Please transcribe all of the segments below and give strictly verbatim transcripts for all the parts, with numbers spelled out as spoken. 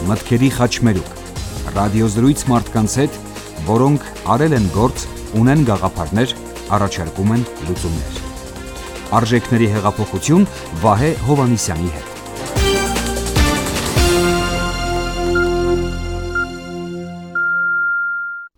մտքերի խաչմերուկ, ռադիոզրույց մարդկանց հետ, որոնք արել են գործ, ունեն գաղափարներ, առաջարկում են լուծումներ։ Արժեքների հեղափոխություն Վահե Հովհաննիսյանի հետ։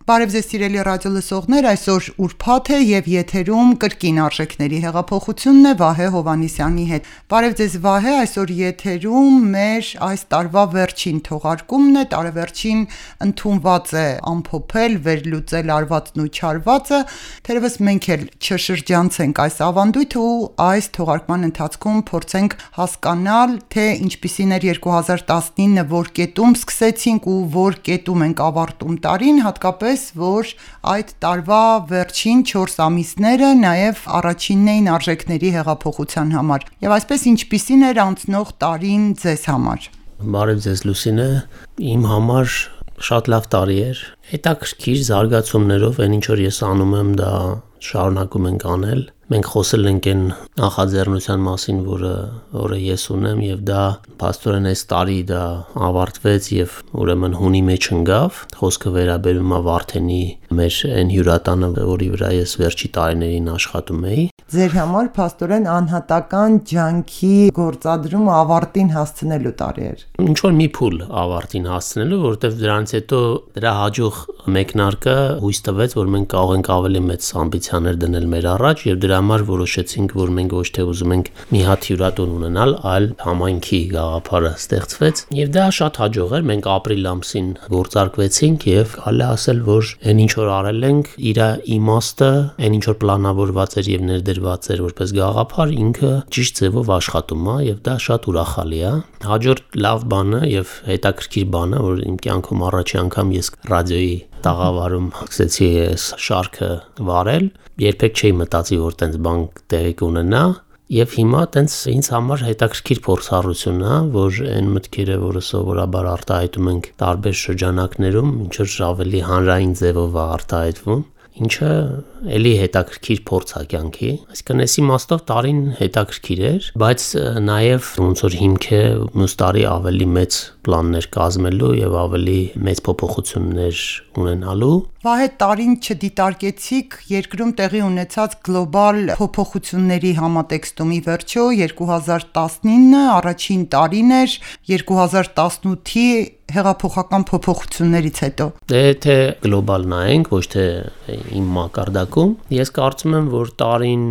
Բարև ձեզ սիրելի ռադիո լսողներ, այսօր ուրբաթ է եւ եթերում կրկին արժեքների հեղափոխությունն է Վահե Հովհաննիսյանի հետ։ Բարև ձեզ Վահե, այսօր եթերում մեր այս տարվա վերջին թողարկումն է, տարեվերջին ընդունված է ամփոփել, վերլուծել արվածն ու չարվածը, թերևս մենք էլ չշրջանցենք այս ավանդույթը ու այս թողարկման ընթացքում փորձենք հասկանալ, թե ինչպիսին էր երկու հազար տասնինը, որ կետում սկսեցինք ու որ կետում ենք ավարտում տարին, հատկապես որ այդ տարվա վերջին չորս ամիսները նաև առաջինն էին արժեքների հեղափոխության համար։ Եվ այսպես ինչպիսին էր անցնող տարին ձեզ համար։ Բարև ձեզ Լուսինե, իմ համար շատ լավ տարի էր։ Հետաքրքիր զարգացումներով այն ինչ որ ես անում եմ, դա շարունակում ենք անել։ Մենք խոսել ենք այն նախաձեռնության մասին, որը որը ես ունեմ, եւ դա փաստորեն այս տարի դա ավարտվեց եւ ուրեմն հունի մեջ ընկավ։ Խոսքը վերաբերում է Վարդենի մեր այն հյուրատանը, որի վրա ես վերջի տարիներին աշխատում էի։ Ձեր համար փաստորեն անհատական ջանքի գործադրումը ավարտին հասցնելու տարի էր։ Ինչ որ մի փուլ ավարտին հասցնելու, որովհետեւ դրանից հետո դրա հաջող մեկնարկը հույս տվեց, որ մենք կարող ենք ավելի մեծ ամբիցիաներ դնել մեր առաջ եւ դրա համար որոշեցինք, որ մենք ոչ թե ուզում ենք մի հատ հյուրատուն ունենալ, այլ համայնքի գաղափարը ստեղծվեց եւ դա շատ հաջող էր։ Մենք ապրիլ ամսին գործարկվեցինք եւ հալը ասել, որ այն ինչ որ արել ենք, իր իմաստը, այն ինչ որ պլանավորված էր եւ ներդրված էր որպես գաղափար, ինքը ճիշտ ձևով աշխատում է եւ դա շատ ուրախալի է։ Հաջորդ լավ բանը եւ հետաքրքիր բանը, որ իմ կյանքում առաջի անգամ ես ռադիոյի տաղավարում սկսեցի այս շարքը վարել, երբեք չէի մտածի, որ տենց բան տեղի կունենա, եւ հիմա տենց ինձ համար հետաքրքիր փորձառություն է, որ այն մտքերը, որը սովորաբար արտահայտում ենք տարբեր շրջանակներում, ինչ որ ավելի հանրային ձևով է արտահայտվում, ինչը էլի հետաքրքիր փորձ է կյանքի։ Այսինքն այս իմաստով տարին հետաքրքիր էր, բայց նաև ոնց որ հիմք է մյուս տարի ավելի մեծ պլաններ կազմելու եւ ավելի մեծ փոփոխություններ ունենալու։ Վահե, տարին չդիտարկեցիք երկրում տեղի ունեցած գլոբալ փոփոխությունների համատեքստումի վերջո երկու հազար տասնինը առաջին տարին էր երկու հազար տասնութի հեղափոխական փոփոխություններից հետո։ Դե թե գլոբալ նայենք, ոչ թե իմ մակարդակում, ես կարծում եմ, որ տարին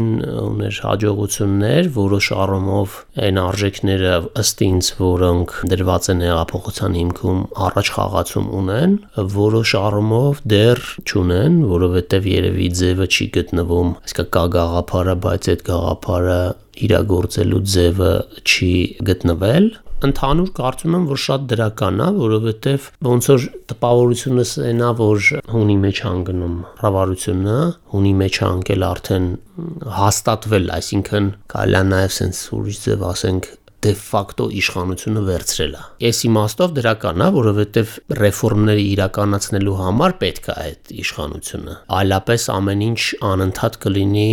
ուներ հաջողություններ, որոշ առումով այն արժեքները ըստ ինձ, որոնք դրված են հեղափոխության հիմքում, առաջ խաղացում ունեն, որոշ առումով դեռ չունեն, որովհետև երևի ձևը չի գտնվում, այսինքն կա գաղափարը, բայց այդ գաղափարը իրագործելու ձևը չի գտնվել։ Ընդհանուր կարծում եմ, որ շատ դրական է, որովհետև ոնց որ տպավորությունս այն է, որ հունի մեջ անգնում ռավարությունը, հունի մեջ անգել արդեն հաստատվել, այսինքն կարելի է նաև sense ուրիշ ձև ասենք դե ֆակտո իշխանությունը վերցրել է։ Այս իմաստով դրական է, որովհետև ռեֆորմները իրականացնելու համար պետք է այդ իշխանությունը։ Այլապես ամեն ինչ անընդհատ կլինի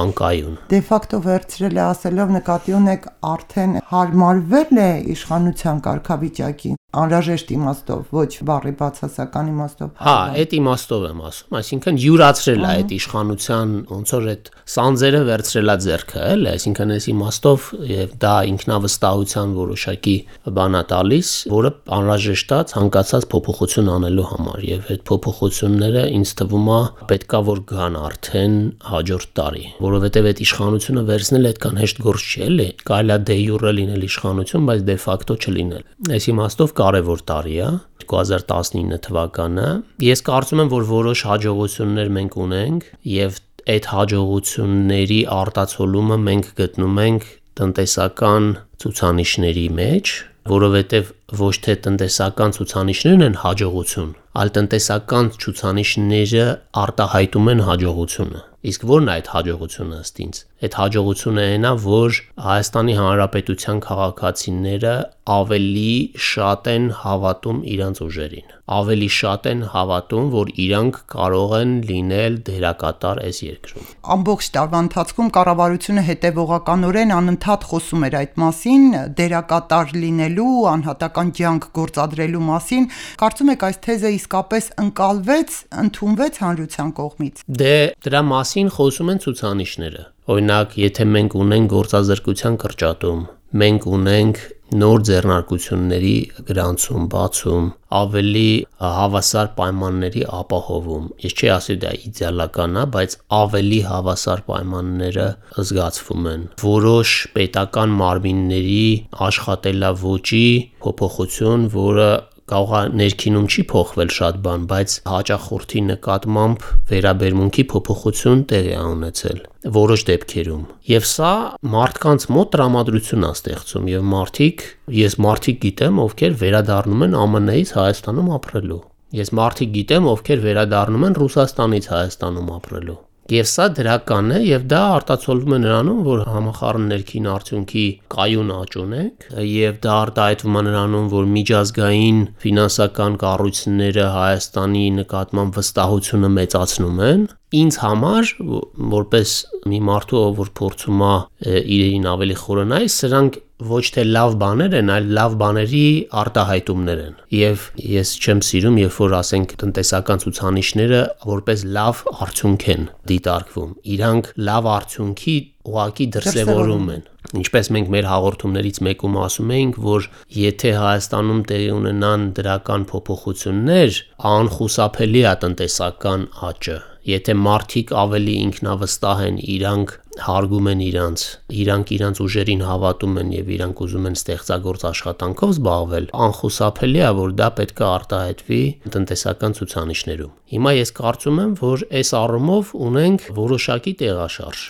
անկայուն։ Դե ֆակտո վերցրել է ասելով նկատի ունեք արդեն հարմարվել է իշխանության կարգավիճակին։ Անհրաժեշտ իմաստով, ոչ բառի բացասական իմաստով։ Հա, այդ իմաստով եմ ասում, այսինքն յուրացրել է այդ իշխանության, ոնց որ այդ սանձերը վերցրել է ձեռքը, էլի, այսինքն այս իմաստով եւ դա ինքնավստահության որոշակի բան է տալիս, որը անհրաժեշտ է ցանկացած փոփոխություն անելու համար եւ այդ փոփոխությունները ինձ թվում է պետքա որ գան արդեն հաջորդ տարի, որովհետեւ այդ իշխանությունը վերցնել այդքան հեշտ գործ չի, էլի, կարելի է դե յուրը լինել իշխանություն, բայց դե ֆակտո չլինել։ Այս իմաստով կարևոր տարի է երկու հազար տասնինը թվականը։ Ես կարծում եմ, որ որոշ հաջողություններ մենք ունենք եւ այդ հաջողությունների արտացոլումը մենք գտնում ենք տնտեսական ցուցանիշների մեջ, որովհետեւ ոչ թե տնտեսական ցուցանիշներն են հաջողություն, այլ տնտեսական ցուցանիշները արտահայտում են հաջողությունը։ Իսկ ո՞րն է այդ հաջողությունը ըստ ինձ։ Այդ հաջողությունը այն է, որ Հայաստանի Հանրապետության քաղաքացիները ավելի շատ են հավատում իրենց ուժերին, ավելի շատ են հավատում, որ իրանք կարող են լինել դերակատար այս երկրում։ Ամբողջ տարվա ընթացքում կառավարությունը հետևողականորեն անընդհատ խոսում էր այդ մասին, դերակատար լինելու, անհատական ջանք գործադրելու մասին։ Կարծում եք այս թեզը իսկապես ընկալվեց, ընդունվեց հանրության կողմից։ Դե դրա մասին խոսում են ցուցանիշները։ Օրինակ, եթե մենք ունենք գործազրկության կրճատում, մենք ունենք նոր ձեռնարկությունների գրանցում, բացում, ավելի հավասար պայմանների ապահովում։ Ես չի ասի դա իդեալական է, բայց ավելի հավասար պայմանները զգացվում են։ Որոշ պետական մարմինների աշխատելավոճի փոփոխություն, որը կարող է ներքինում չի փոխվել շատ բան, բայց հաճախորդի նկատմամբ վերաբերմունքի փոփոխություն տեղի է ունեցել որոշ դեպքերում։ Եվ սա մարդկանց մոտ տրամադրություն է ստեղծում եւ մարդիկ, ես մարդիկ գիտեմ, ովքեր վերադառնում են Α Մ Ն-ից Հայաստանում ապրելու։ Ես մարդիկ գիտեմ, ովքեր վերադառնում են Ռուսաստանից Հայաստանում ապրելու։ Եվ սա դրական է եւ դա արտացոլվում է նրանում, որ համախառն ներքին արդյունքի կայուն աճ ունենք եւ դա արտահայտվում է նրանում, որ միջազգային ֆինանսական կառույցները Հայաստանի նկատմամբ վստահությունը մեծացնում են։ Ինձ համար, որպես մի մարդու, որ փորձում է իրեն ավելի խորանալ, սրանք ոչ թե լավ բաներ են, այլ լավ բաների արտահայտումներ են։ Եվ ես չեմ սիրում, երբ որ ասենք տնտեսական ցուցանիշները որպես լավ արդյունք են դիտարկվում։ Իրանք լավ արդյունքի ուղղակի դրսևորում են։ Ինչպես մենք մեր հաղորդումներից մեկում ասում էինք, որ եթե Հայաստանում տեղի ունենան դրական փոփոխություններ, անխուսափելի է տնտեսական աճը։ Եթե մարդիկ ավելի ինքնավստահ են, իրանք հարգում են իրանց, իրանք իրանց ուժերին հավատում են եւ իրանք ուզում են ստեղծագործ աշխատանքով զբաղվել, անխուսափելի է, որ դա պետք է արտահայտվի տնտեսական ցուցանիշներում։ Հիմա ես կարծում եմ, որ այս առումով ունենք որոշակի տեղաշարժ։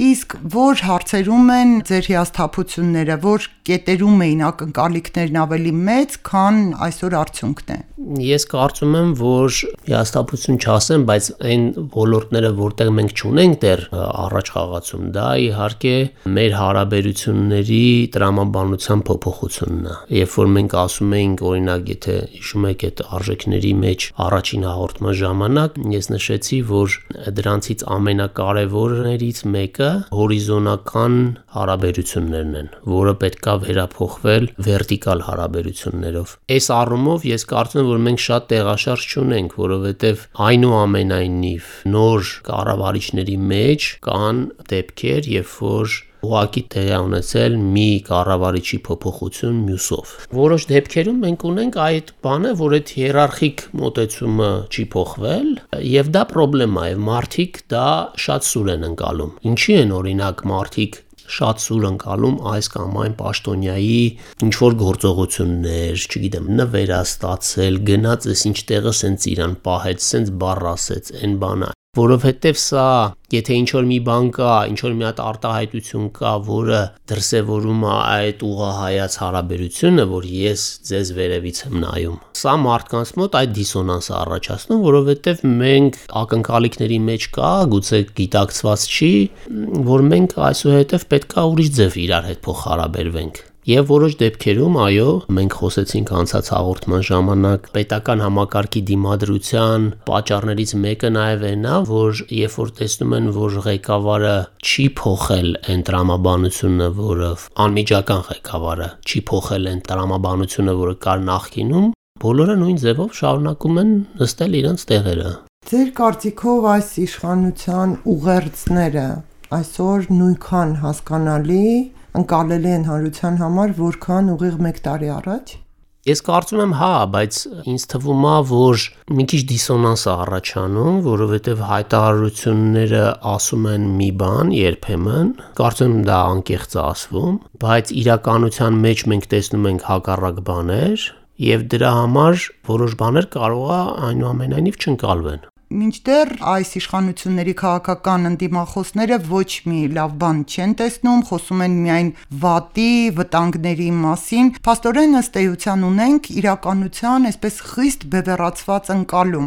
Իսկ որ հարցերում են ձեր հիասթափությունները, որ կետերում էին ակնկալիքներն ավելի մեծ, քան այսօր արդյունքն է։ Ես կարծում եմ, որ հիասթափություն չասեմ, բայց այն ոլորտները, որտեղ մենք չունենք դեռ առաջ խաղացում, դա իհարկե մեր հարաբերությունների տրամաբանության փոփոխությունն է։ Երբ որ մենք ասում էինք, օրինակ, եթե հիշում եք այդ արժեքների մեջ առաջին հաղորդման ժամանակ, ես նշեցի, որ դրանցից ամենակարևորներից մեկը հորիզոնական հարաբերություններն են, որը պետքա վերափոխվել վերտիկալ հարաբերություններով։ Այս առումով ես կարծում եմ, որ մենք շատ տեղաշարժ չունենք, որովհետև այնուամենայնիվ նոր կառավարիչների մեջ կան դեպքեր, երբ որ ուղղակի տեղի ունեցել մի կառավարիչի փոփոխություն մյուսով։ Որոշ դեպքերում մենք ունենք այդ բանը, որ այդ հիերարխիկ մոտեցումը չի փոխվել, եւ դա խնդրեմ է, եւ մարդիկ դա շատ սուր են ընկալում։ Ինչի են օրինակ մարդիկ շատ սուր ընկալում այս կամ այն պաշտոնյայի ինչ որ գործողություններ, չգիտեմ, նվերաստացել, գնաց էս ինչ տեղը սենց իրան պահեց, սենց բառ ասեց, այն բանը, որովհետև սա, եթե ինչ որ մի բան կա, ինչ որ մի հատ արտահայտություն կա, որը դրսևորում է այդ ուղղահայաց հարաբերությունը, որ ես ձեզ վերևից եմ նայում, սա մարդկանց մոտ այդ դիսոնանսը առաջացնում, որովհետև մենք ակնկալիքների մեջ կա, գուցե գիտակցված չի, որ մենք այսուհետև պետք է ուրիշ ձև իրար հետ փոխհարաբերվենք։ Եվ որոշ դեպքերում, այո, մենք խոսեցինք անցած հաղորդման ժամանակ պետական համակարգի դիմադրության պատճառներից մեկը նաև այն է, որ երբ որ տեսնում են, որ ղեկավարը չի փոխել այն տրամաբանությունը, որը անմիջական ղեկավարը չի փոխել այն տրամաբանությունը, որը կար նախկինում, բոլորը նույն ձևով շարունակում են նստել իրենց տեղերը։ Ձեր կարծիքով այս իշխանության ուղերձները այսօր նույնքան հասկանալի ընկալելի են հանրության համար, որքան ուղիղ մեկ տարի առաջ։ Ես կարծում եմ հա, բայց ինձ թվում է, որ մի քիչ դիսոնանս է առաջանում, որովհետև հայտարարությունները ասում են մի բան երբեմն, կարծում եմ դա անկեղծ է ասվում, բայց իրականության մեջ մենք տեսնում ենք հակառակ բաներ, եւ դրա համար որոշ բաներ կարող է այնուամենայնիվ չընկալվեն։ Մինչդեռ այս իշխանությունների քաղաքական ընդդիմախոսները ոչ մի լավ բան չեն տեսնում, խոսում են միայն վատի, վտանգների մասին։ Փաստորեն ըստ էության ունենք իրականության այսպես խիստ բևեռացված ընկալում։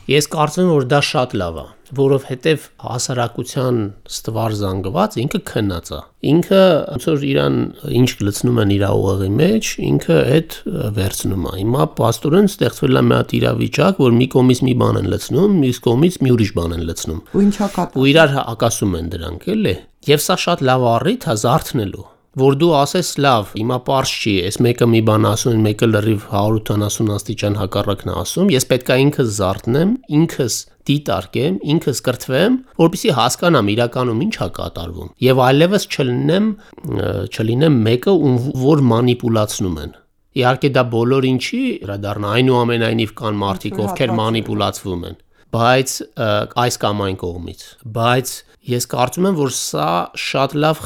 Ես կարծում եմ, որ դա շատ լավ է, որովհետև հասարակության ստվար զանգված ինքը քնած է։ Ինքը ոնց որ իրան ինչ գլցնում են իր ուղեղի մեջ, ինքը այդ վերցնում է։ Հիմա պաստորեն ստեղծվել է մի հատ իրավիճակ, որ մի կողմից մի բան են լցնում, մյուս կողմից մի ուրիշ բան են լցնում։ Ու ինչա կապ։ Ու իրար հակասում են դրանք, էլի։ Եվ սա շատ լավ առիթ է զարթնելու։ Որ դու ասես լավ, հիմա պարզ չի, այս մեկը մի բան ասում, մեկը լրիվ հարյուր ութանասուն աստիճան հակառակն է ասում, ես պետք է ինքս զարթնեմ, ինքս դիտարկեմ, ինքս կրթվեմ, որպեսզի հասկանամ իրականում ինչ է կատարվում, եւ այլևս չլինեմ, չլինեմ մեկը, ում որ մանիպուլացնում են։ Իհարկե դա բոլոր ինչի դառնա, այնուամենայնիվ կան մարդիկ, ովքեր մանիպուլացվում են, բայց այս կամ այն կողմից, բայց ես կարծում եմ, որ սա շատ լավ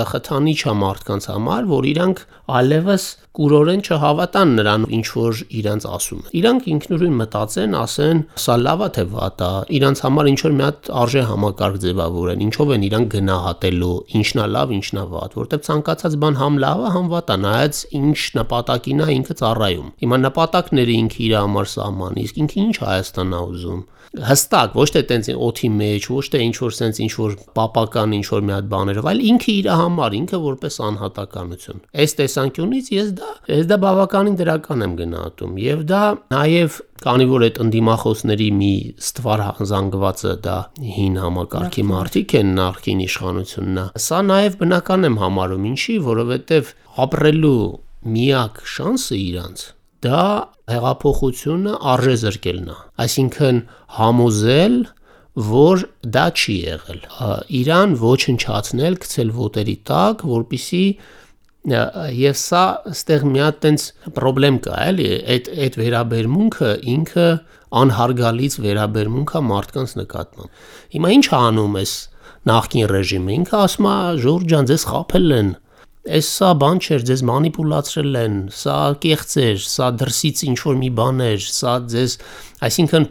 խթանիչ է մարդկանց համար, որ իրանք այլևս կուրորեն չհավատան նրան, ինչ որ իրանց ասում են։ Իրանք ինքնուրույն մտածեն, ասեն, սա լավ է թե վատ է, իրանց համար ինչ որ մի հատ արժե համակարգ ձևավորեն, ինչով են իրանք գնահատելու, ինչն է լավ, ինչն է վատ, որտեղ ցանկացած բան համ լավ է, համ վատ է, նայած ինչ նպատակին է ինքը ծառայում։ Հիմա նպատակները ինքը իր համար սահման, իսկ ինքը ինչ Հայաստանն է ուզում։ Հստակ, ոչ թե տենց օթի մեջ, ոչ թե ինչ որ sense ինչ որ պապական ինչ որ մի հատ բաներով, այլ ինքը իր համար, ինքը որպես անհատականություն։ Այս տեսանկյունից ես դա, ես դա բավականին դրական եմ գնահատում, եւ դա նաեւ քանի որ այդ ընդդիմախոսների մի ստվար զանգվածը դա հին համակարգի մարդիկ են, նախկին իշխանությունն է։ Սա նաեւ բնական եմ համարում, ինչի, որովհետեւ ապրելու միակ շանսը իրանց դա հեղափոխությունը արժե զրկելն է, այսինքն համոզել, որ դա չի եղել, իրան ոչնչացնել, գցել ոտերի տակ, որպեսզի եւ սա այստեղ մի հատ տենց խնդրեմ կա, էլի, այդ այդ վերաբերմունքը ինքը անհարգալից վերաբերմունք է մարդկանց նկատմամբ։ Հիմա ինչ անում էս նախկին ռեժիմը, ինքը ասում է Ժորժ ջան, ձեզ խաբել են։ Այս սա բան չէր, ձեզ մանիպուլացրել են, սա կեղծ էր, սա դրսից ինչ-որ մի բան էր, սա ձեզ, այսինքն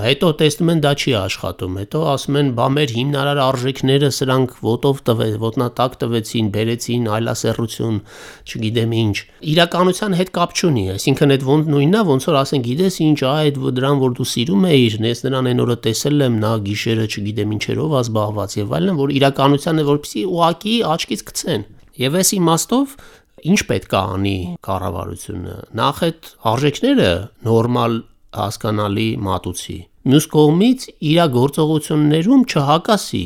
հետո տեսնում են դա չի աշխատում, հետո ասում են բա մեր հիմնարար արժեքները սրանք ոտով տվեց, ոտնատակ տվեցին, բերեցին այլասեռություն, չգիտեմ ինչ։ Իրականության հետ կապ չունի, այսինքն այդ ոնց նույնն է, ոնց որ ասեն, գիտես ինչ, այդ դրան որ դու սիրում էիր, ես նրան այն օրը տեսել եմ, նա գիշերը չգիտեմ ինչերով ա զբաղված եւ այլն, որ իրականության է որպեսի ուղակի աչքից գցեն։ Եվ այս իմաստով ինչ պետք է անի կառավարությունը։ Նախ այդ արժեքները նորմալ հասկանալի մատուցի։ Մյուս կողմից իր գործողություններում չհակասի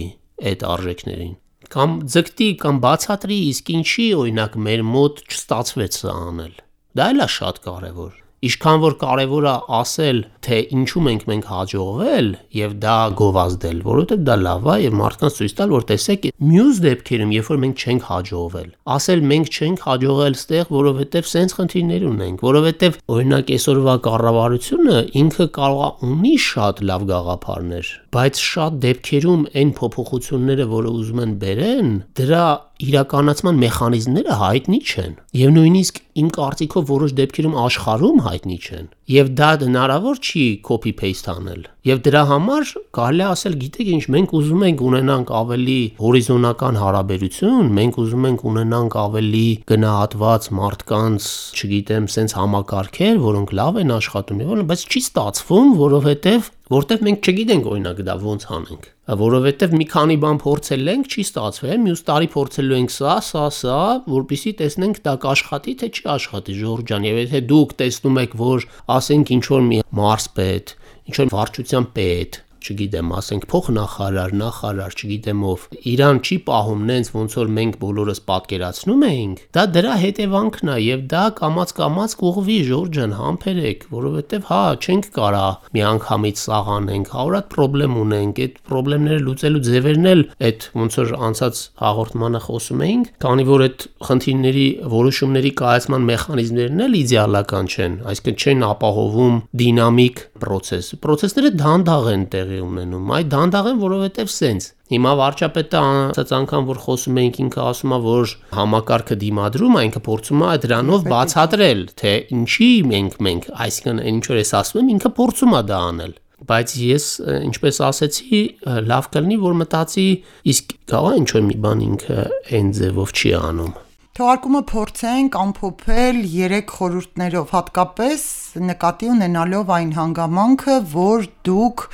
այդ արժեքներին։ Կամ ձգտի կամ բացատրի, իսկ ինչի օրինակ մեր մոտ չստացվեց սա անել։ Դա էլ է շատ կարևոր։ Ինչքան որ կարևոր է ասել, թե ինչու ենք մենք հաջողվել եւ դա գովազդել, որովհետեւ դա լավ է եւ մարդկանց ցույց տալ, որ տեսեք, մյուս դեպքերում, երբ որ մենք չենք հաջողվել, ասել մենք չենք հաջողել ստեղ, որովհետեւ սենց խնդիրներ ունենք, որովհետեւ օրինակ այսօրվա կառավարությունը ինքը կարող է ունի շատ լավ գաղափարներ, բայց շատ դեպքերում այն փոփոխությունները, որը ուզում են բերեն, դրա իրականացման մեխանիզմները հայտնի չեն եւ նույնիսկ իմ կարծիքով որոշ դեպքերում աշխարհում հայտնի չեն եւ դա հնարավոր չի copy paste անել եւ դրա համար կարելի է ասել գիտեք ինչ մենք ուզում ենք ունենանք ավելի հորիզոնական հարաբերություն մենք ուզում ենք ունենանք ավելի գնահատված մարդկանց չգիտեմ sense համակարգեր որոնք լավ են աշխատում եւ բայց չի ստացվում որովհետեւ որտեվ մենք չգիտենք օրինակ դա ոնց անենք որովհետև մի քանի բան փորձել ենք, չի ստացվել, մյուս տարի փորձելու ենք սա, սա, սա, որպեսզի տեսնենք դա կաշխատի, թե չի աշխատի, Ժորժ ջան, եւ եթե դուք տեսնում եք, որ ասենք ինչ որ մի մարզպետ, ինչ որ վարչության պետ, չգիտեմ, ասենք փոխնախարար, նախարար, չգիտեմ ով, իրան չի պահում նենց ոնց որ մենք բոլորս պատկերացնում էինք, դա դրա հետևանքն է եւ դա կամած-կամած կուղվի Ժորժ ջան, համբերեք, որովհետեւ հա, չենք կարա միանգամից սաղանենք, հարյուրատ խնդրեմ ունենք, այդ խնդիրները լուծելու ձևերն էլ այդ ոնց որ անցած հաղորդմանը խոսում էինք, քանի որ այդ խնդիրների որոշումների կայացման մեխանիզմներն էլ իդեալական չեն, այսինքն չեն ապահովում դինամիկ process։ Process-ները դանդաղ են տեղի ունենում, այդ դանդաղ են, որովհետև սենց Հիմա վարչապետը անցած անգամ որ խոսում էինք ինքը ասում է որ համակարգը դիմադրում է ինքը փորձում է դրանով բացատրել թե ինչի մենք մենք այսինքն ինչ որ ես ասում եմ ինքը փորձում է դա անել բայց ես ինչպես ասեցի լավ կլինի որ մտածի իսկ գա ինչ որ մի բան ինքը այն ձևով չի անում Թողարկումը փորձենք ամփոփել երեք խորհուրդներով, հատկապես նկատի ունենալով այն հանգամանքը, որ դուք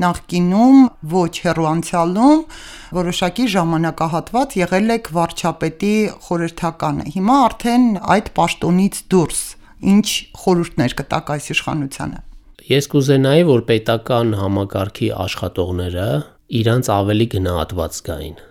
նախկինում ոչ հեռու անցյալում որոշակի ժամանակահատված եղել եք վարչապետի խորհրդականը։ Հիմա արդեն այդ պաշտոնից դուրս ինչ խորհուրդներ կտաք այս իշխանությանը։ Ես կուզենայի, որ պետական համակարգի աշխատողները իրանց ավելի գնահատված զգային,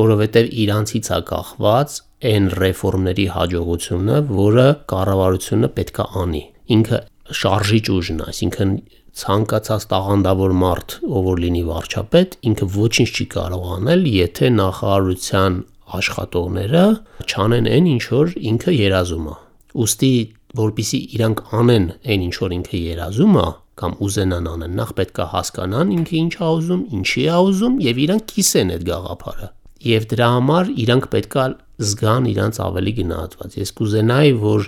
որովհետև իրանցից է կախված այն ռեֆորմների հաջողությունը, որը կառավարությունը պետք է անի։ Ինքը շարժիչ ուժն է, այսինքն ցանկացած տաղանդավոր մարդ, ով որ լինի վարչապետ, ինքը ոչինչ չի կարող անել, եթե նախարարության աշխատողները չանեն այն, ինչ որ ինքը երազում է։ Ուստի, որպեսզի իրանք անեն այն, ինչ որ ինքը երազում է, կամ ուզենան անեն, նախ պետք է հասկանան ինքը ինչ է ուզում, ինչի է ուզում, եւ իրանք կիսեն այդ գաղափարը։ Եվ դրա համար իրանք պետք է զգան իրանց ավելի գնահատված։ Ես կուզենայի, որ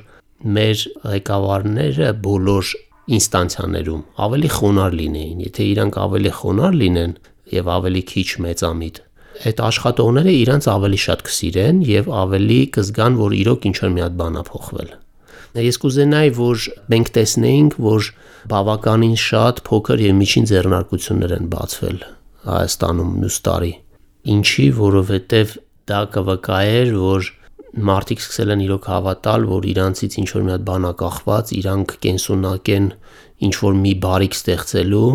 մեր ղեկավարները բոլոր ինստանցիաներում ավելի խոնարհ լինեին, եթե իրանք ավելի խոնարհ լինեն եւ ավելի քիչ մեծամիտ, այդ աշխատողները իրանց ավելի շատ կսիրեն եւ ավելի կզգան, որ իրոք ինչ-որ մի հատ բան է փոխվել։ Ես կուզենայի, որ մենք տեսնեինք, որ բավականին շատ փոքր եւ միջին ձեռնարկություններ են բացվել Հայաստանում մյուս տարի։ Ինչի, որովհետեւ դա կվկայեր, որ մարդիկ սկսել են իրոք հավատալ, որ իրանցից ինչ-որ մի հատ բան է կախված, իրանք կենսունակ են ինչ-որ մի բարիք ստեղծելու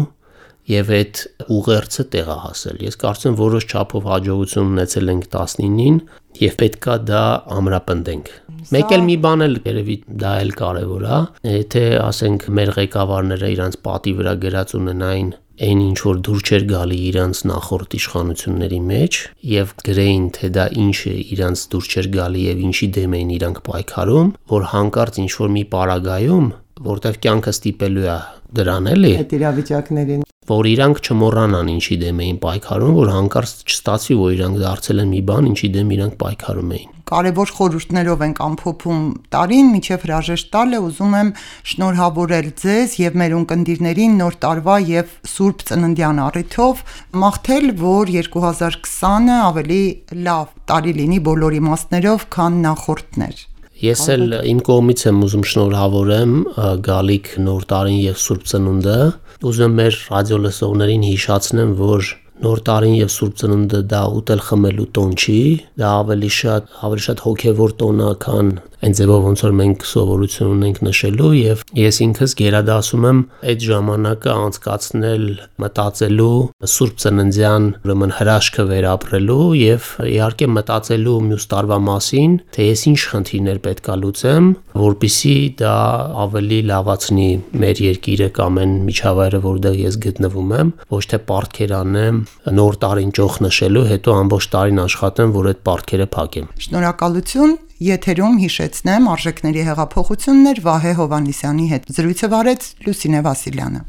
եւ այդ ուղերձը տեղ է հասել։ Ես կարծում եմ որոշ չափով հաջողություն ունեցել ենք տասնինին եւ պետքա դա ամրապնդենք։ Մեկ էլ մի բան էլ երևի դա էլ կարեւոր է, եթե ասենք մեր ղեկավարները իրանց պատի վրա գրած ունենային այն ինչ որ դուր չէր գալի իրանց նախորդ իշխանությունների մեջ եւ գրեին թե դա ինչ է իրանց դուր չէր գալի եւ ինչի դեմ էին իրանք պայքարում, որ հանկարծ ինչ որ մի պարագայում, որտեղ կյանքը ստիպելու է դրան էլի, այդ իրավիճակներին, որ իրանք չմոռանան ինչի դեմ էին պայքարում, որ հանկարծ չստացվի, որ իրանք դարձել են մի բան, ինչի դեմ իրանք պայքարում էին։ Կարևոր խորհուրդներով ենք ամփոփում տարին, միջև հրաժեշտ տալը ուզում եմ շնորհավորել ձեզ եւ մեր ունկնդիրներին նոր տարվա եւ Սուրբ Ծննդյան առիթով, մաղթել, որ երկու հազար քսանը ավելի լավ տարի լինի բոլոր իմաստներով, քան նախորդներ։ Ես էլ իմ կողմից եմ ուզում շնորհավորեմ գալիք նոր տարին եւ Սուրբ Ծնունդը։ Ուզում եմ մեր ռադիոլսողներին հիշեցնեմ, որ նոր տարին եւ Սուրբ Ծնունդը դա ուտել խմելու տոն չի, դա ավելի շատ ավելի շատ հոգեվոր տոն է, քան այն ձևով ոնց որ մենք սովորություն ունենք նշելու եւ ես ինքս գերադասում եմ այդ ժամանակը անցկացնել մտածելու Սուրբ Ծննդյան ուրեմն հրաշքը վերապրելու եւ իհարկե մտածելու մյուս տարվա մասին, թե ես ինչ խնդիրներ պետքա լուծեմ, որպեսզի դա ավելի լավացնի մեր երկիրը կամ այն միջավայրը, որտեղ ես գտնվում եմ, ոչ թե պարտքեր անեմ նոր տարին ճոխ նշելու, հետո ամբողջ տարին աշխատեմ, որ այդ պարտքերը փակեմ։ Շնորհակալություն։ Եթերում հիշեցնեմ արժեքների հեղափոխություններ Վահե Հովհաննիսյանի հետ։ Զրույցը վարեց Լուսինե Վասիլյանը։